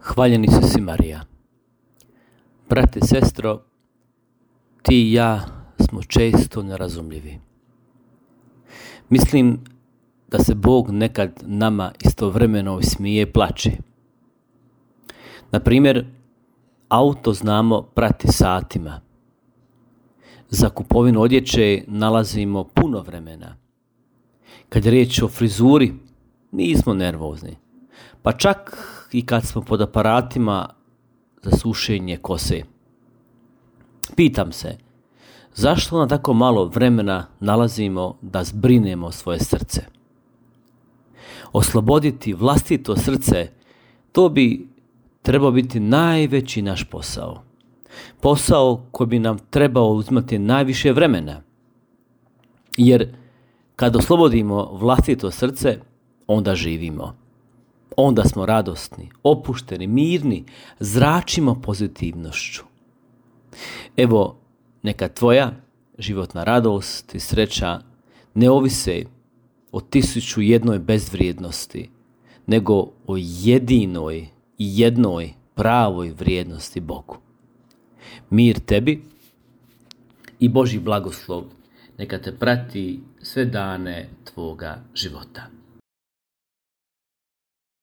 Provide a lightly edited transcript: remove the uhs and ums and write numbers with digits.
Hvaljeni su si Marija. Brate, sestro, ti i ja smo često nerazumljivi. Mislim da se Bog nekad nama istovremeno smije i plače. Na primjer, auto znamo prati satima. Za kupovinu odjeće nalazimo puno vremena. Kad je riječ o frizuri, nismo nervozni. Pa čak i kad smo pod aparatima za sušenje kose. Pitam se, zašto na tako malo vremena nalazimo da zbrinemo svoje srce? Osloboditi vlastito srce, to bi trebao biti najveći naš posao. Posao koji bi nam trebao uzimati najviše vremena. Jer kad oslobodimo vlastito srce, onda živimo. Onda smo radosni, opušteni, mirni, zračimo pozitivnošću. Evo, neka tvoja životna radost i sreća ne ovise o 1001 bezvrijednosti, nego o jedinoj i jednoj pravoj vrijednosti Bogu. Mir tebi i Božji blagoslov neka te prati sve dane tvoga života.